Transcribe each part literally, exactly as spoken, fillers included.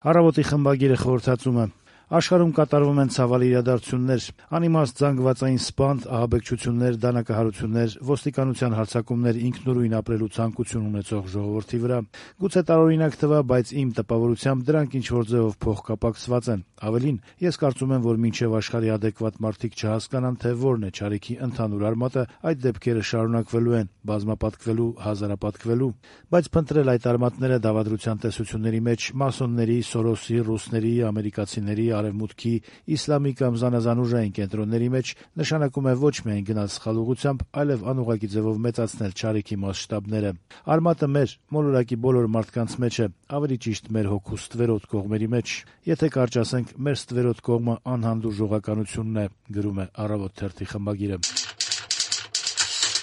Առավոտի խմբագիրը խորհրդածում է. աշխարհում կատարվում են ցավալի իրադարձություններ, անիմաստ զանգվածային սպանդ, ահաբեկչություններ, դանակահարություններ, ոստիկանության հարձակումներ ինքնուրույն ապրելու ցանկություն ունեցող ժողովրդի վրա։ Գուցե տարօրինակ թվա, բայց իմ տպավորությամբ դրանք ինչ-որ ձևով փոխկապակցված են։ Ավելին, ես կարծում եմ, որ մինչև աշխարհի adekvat մարդիկ չհասկանան, թե որն է չարիքի ընդհանուր արմատը, այդ դեպքերը շարունակվելու են, բազմապատկվելու, հազարապատկվելու։ Բայց փնտրել այդ արմատները դավադրության տեսությունների մեջ մասոնների, Սորոսի, ռուսների, ամերիկացիների, Արևմուտքի, իսլամի կամ զանազան ուժային կենտրոնների մեջ նշանակում է ոչ միայն գնալ սխալ ուղղությամբ, այլև անուղղակի ձևով մեծացնել չարիքի մասշտաբները։ Արմատը մեր, մոլորակի բոլոր մարդկանց մեջ է, ավելի ճիշտ մեր հոգու ստվերոտ կողմերի մեջ։ Եթե կարճ ասենք, մեր ստվերոտ կողմը անհանդուրժողականությունն է, գրում է «Առավոտ» թերթի խմբագիրը։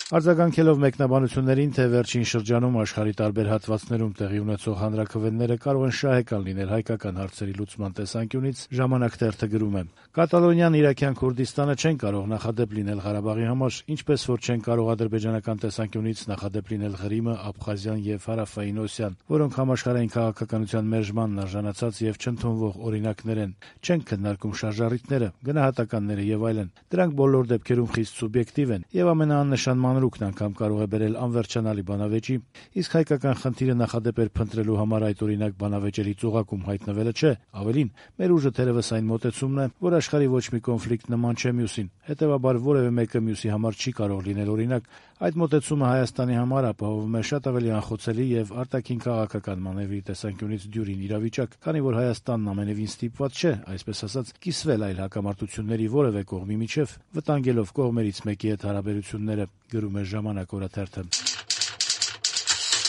Արձագանքելով մեկնաբանություններին, թե վերջին շրջանում աշխարհի տարբեր հատվածներում տեղի ունեցող հանրաքվեները կարող են շահեկան լինել հայկական հարցերի լուծման տեսանկյունից, «Ժամանակ» թերթը գրում է. «Կատալոնիան, Իրաքյան Քուրդիստանը չեն կարող նախադեպ լինել Ղարաբաղի համար, ինչպես որ չեն կարող ադրբեջանական տեսանկյունից նախադեպ լինել Ղրիմը, Աբխազիան եւ Հարավային Օսիան, որոնք համաշխարհային քաղաքականության մերժմանն արժանացած եւ չընդունվող օրինակներ են, չեն քննարկում շարժառիթները, գնահատականները եւ այլն։ Դրանք բոլոր դեպքերում խիստ սուբյեկտիվ են եւ ամենաաննշան մանրուքն անգամ կարող է բերել անվերջանալի բանավեճի, իսկ հայկական խնդիրը նախադեպեր փնտրելու համար այդ օրինակ բանավեճերի ծուղակում հայտնվելը չէ, ավելին, մեր ուժը թերևս այն մոտեցումն է, որ աշխարհի ոչ մի կոնֆլիկտ նման չէ մյուսին, հետեւաբար որևէ մեկը մյուսի համար չի կարող լինել օրինակ։ Այդ մոտեցումը Հայաստանի համար ապահովում է շատ ավելի անխոցելի եւ արտաքին քաղաքական մանևրի տեսանկյունից դյուրին իրավիճակ, քանի որ Հայաստանն ամենևին ստիպված չէ, այսպես ասած, կիսվել այլ հակամարտությունների որևէ կողմի միջև, վտանգելով կողմերից մեկի հետ հարաբերությունները, գրում է «Ժամանակ» օրաթերթը։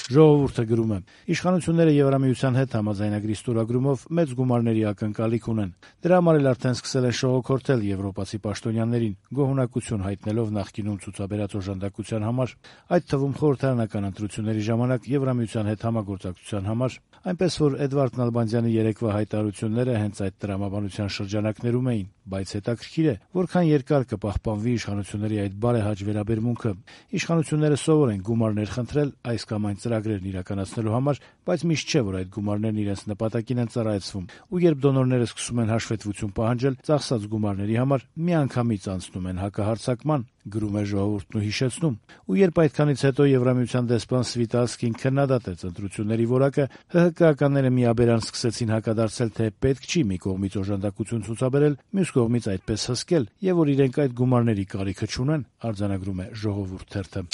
«Ժողովուրդ»-ը գրում է. «Իշխանությունները Եվրամիության հետ համաձայնագրի ստորագրումով մեծ գումարների ակնկալիք ունեն։ Դրա համար էլ արդեն սկսել են շողոքորթել եվրոպացի պաշտոնյաներին, գոհունակություն հայտնելով նախկինում ցուցաբերած օժանդակության համար, այդ թվում խորհրդարանական ընտրությունների ժամանակ Եվրամիության հետ համագործակցության համար, այնպես որ Էդվարդ Նալբանդյանի երեկվա հայտարարությունները հենց այդ տրամաբանության շրջանակներում էին, բայց հետաքրքիր է, որքան երկար կպահպանվի իշխանությունների այդ բարեհաճ վերաբերմունքը։ Իշխանությունները սովոր են գումարներ խնդրել այս կամ այն ծրագրերն իրականացնելու համար, բայց միշտ չէ, որ այդ գումարներն իրենց նպատակին են ծառայեցվում, ու երբ դոնորները սկսում են հաշվետվություն պահանջել ծախսած գումարների համար, միանգամից անցնում են հակահարձակման, գրում է «Ժողովուրդն» ու հիշեցնում, ու երբ այդքանից հետո Եվրամիության դեսպան Սվիտալսկին քննադատեց ընտրությունների որակը, ՀՀԿ-ականները միաբերան սկսեցին հակադարձել, թե պետք չի մի կողմից օժանդակություն ցուցաբերել, մյուս կողմից այդպես հսկել, եւ որ իրենք այդ գումարների կարիքը չունեն, արձանագրում է «Ժողովուրդ» թերթը։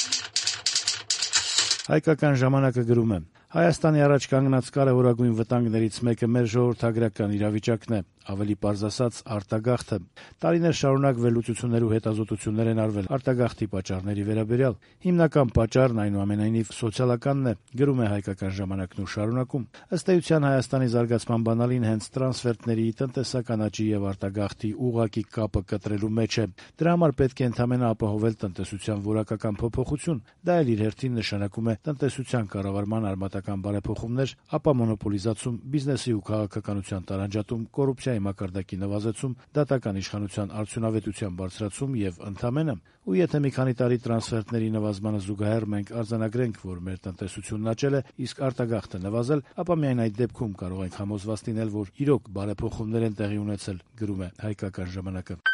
Հայկական ժամանակը գրում է. «Հայաստանի առաջ կանգնած կարևորագույն վտանգներից մեկը մեր ժողովրդագրական իրավիճակն է, ավելի պարզ ասած արտագաղթը։ Տարիներ շարունակ վերլուծություններ ու հետազոտություններ են արվել արտագաղթի պատճառների վերաբերյալ։ Հիմնական պատճառն այնուամենայնիվ սոցիալականն է, գրում է Հայկական ժամանակն ու շարունակում։ Ըստ էության Հայաստանի զարգացման բանալին հենց տրանսֆերտների, տնտեսական աճի եւ արտագաղթի ուղղակի կապը կտրելու մեջ է։ Դրա համար պետք է ընդհանրապես ապահովել տնտեսության որակական փոփոխություն։ Դա էլ իր հերթին նշանակում է տնտեսության կառավարման արմատական բարեփոխումներ, ապա մոնոպոլիզացում, բիզնեսի ու քաղաքականության տարանջատում, կոռուպցիայի մակարդակի նվազեցում, դատական իշխանության արդյունավետության բարձրացում եւ ընդամենը։ Ու եթե մի քանի տարի տրանսֆերտների նվազմանը զուգահեռ մենք արձանագրենք, որ մեր տնտեսությունն աճել է, իսկ արտագաղթը նվազել, ապա միայն այդ դեպքում կարող ենք համոզված լինել, որ իրոք բարեփոխումներ են տեղի ունեցել, գրում է Հայկական ժամանակը։